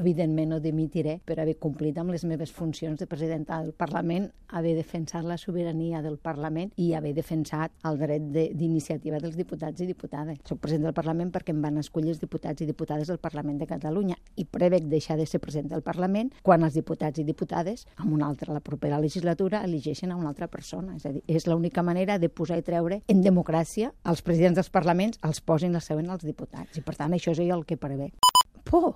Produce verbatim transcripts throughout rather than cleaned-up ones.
evidentment no dimitiré per haver complit amb les meves funcions de presidenta del Parlament, haver defensat la sobirania del Parlament i haver defensat el dret d'iniciativa dels diputats i diputades. Soc president del Parlament perquè em van escollir els diputats i diputades del Parlament de Catalunya i prevec deixar de ser president del Parlament quan els diputats i diputades, amb una altra, la propera legislatura, elegeixen a una altra persona. És a dir, és l'única manera de posar i treure en democràcia els presidents dels parlaments els posin la seu en els diputats. I per tant, això és el que prevec. Por,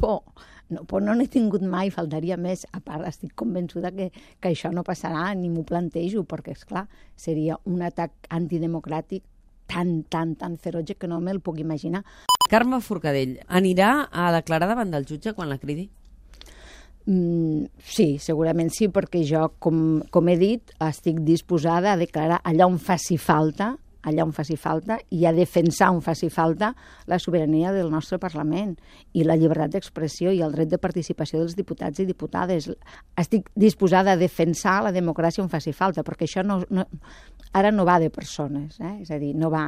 por. No, por no n'he tingut mai, faltaria més. A part, estic convençuda que, que això no passarà, ni m'ho plantejo, perquè, esclar, seria un atac antidemocràtic tan, tan, tan ferotge que no me'l puc imaginar. Carme Forcadell, anirà a declarar davant del jutge quan la cridi? Mm, sí, segurament sí, perquè jo, com, com he dit, estic disposada a declarar allà on faci falta, allà on faci falta, i a defensar on faci falta la sobirania del nostre Parlament i la llibertat d'expressió i el dret de participació dels diputats i diputades. Estic disposada a defensar la democràcia on faci falta, perquè això no, no, ara no va de persones, eh? És a dir, no va,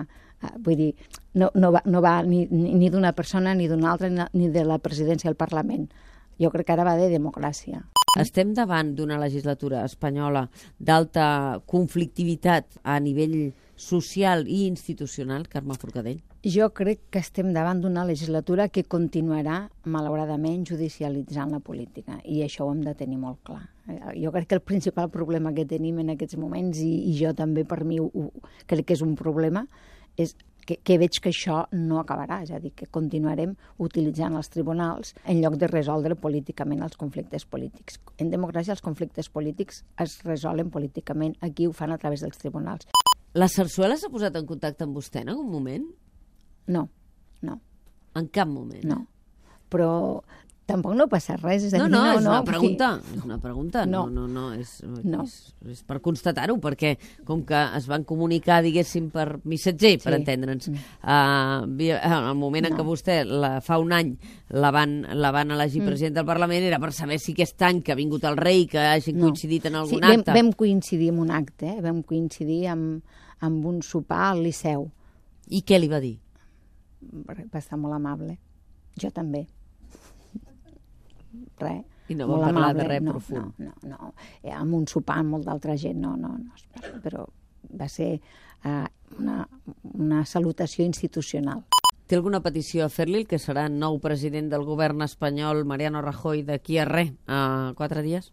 vull dir, no, no va, no va ni, ni d'una persona ni d'una altra ni de la presidència del Parlament. Jo crec que ara va de democràcia. Estem davant d'una legislatura espanyola d'alta conflictivitat a nivell social i institucional, Carme Forcadell? Jo crec que estem davant d'una legislatura que continuarà, malauradament, judicialitzant la política, i això ho hem de tenir molt clar. Jo crec que el principal problema que tenim en aquests moments, i, i jo també per mi ho, ho, crec que és un problema, és que, que veig que això no acabarà, és a dir, que continuarem utilitzant els tribunals en lloc de resoldre políticament els conflictes polítics. En democràcia els conflictes polítics es resolen políticament, aquí ho fan a través dels tribunals. La Sarsuela s'ha posat en contacte amb vostè en algun moment? No, no. En cap moment? No, però tampoc no passa res. És a dir, no, no, no, és no, una pregunta, sí. és una pregunta, no, no, no, és, no. és, és per constatar-ho, perquè com que es van comunicar, diguéssim, per missatger, sí. per entendre'ns, uh, al moment en no. què vostè, la, fa un any, la van, la van elegir mm. president del Parlament, era per saber si aquest any que ha vingut el rei, que hagin no. coincidit en algun sí, acte. Vam, vam coincidir en un acte, eh? vam coincidir amb, amb un sopar al Liceu. I què li va dir? Va estar molt amable. Jo també. Res. I no va parlar amable. de res no, profund? No, no, no. Eh, amb un sopar amb molt d'altra gent, no, no, no. Però va ser uh, una, una salutació institucional. Té alguna petició a fer-li, el que serà nou president del govern espanyol, Mariano Rajoy, d'aquí a res, a quatre dies?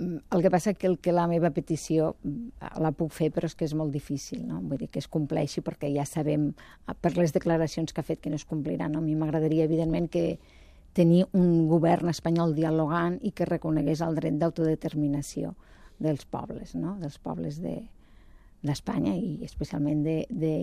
El que passa és que, el, que la meva petició la puc fer, però és que és molt difícil, no? Vull dir que es compleixi, perquè ja sabem, per les declaracions que ha fet, que no es compliran. No? A mi m'agradaria, evidentment, que tenir un govern espanyol dialogant i que reconegués el dret d'autodeterminació dels pobles, no? Dels pobles d'Espanya de, i especialment de, de,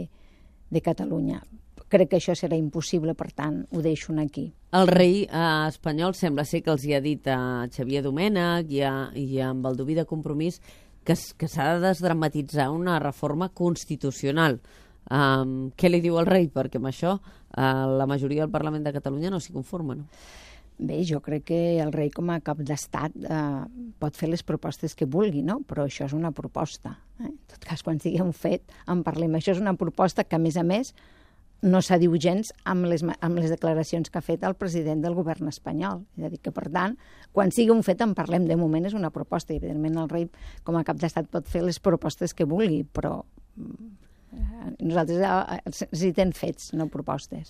de Catalunya. Crec que això serà impossible, per tant, ho deixo aquí. El rei eh, espanyol sembla ser que els hi ha dit a Xavier Domènech i a, i a Baldoví de Compromís que, que s'ha de desdramatitzar una reforma constitucional. Um, què li diu el rei? Perquè amb això uh, la majoria del Parlament de Catalunya no s'hi conforma, no? Bé, jo crec que el rei com a cap d'estat eh, pot fer les propostes que vulgui, no? Però això és una proposta. Eh? En tot cas, quan sigui un fet, en parlem. Això és una proposta que, a més a més, no s'adiu gens amb les, amb les declaracions que ha fet el president del govern espanyol. És a dir, que, per tant, quan sigui un fet en parlem. De moment és una proposta. I, evidentment, el rei, com a cap d'estat, pot fer les propostes que vulgui, però nosaltres necessitem fets, no propostes.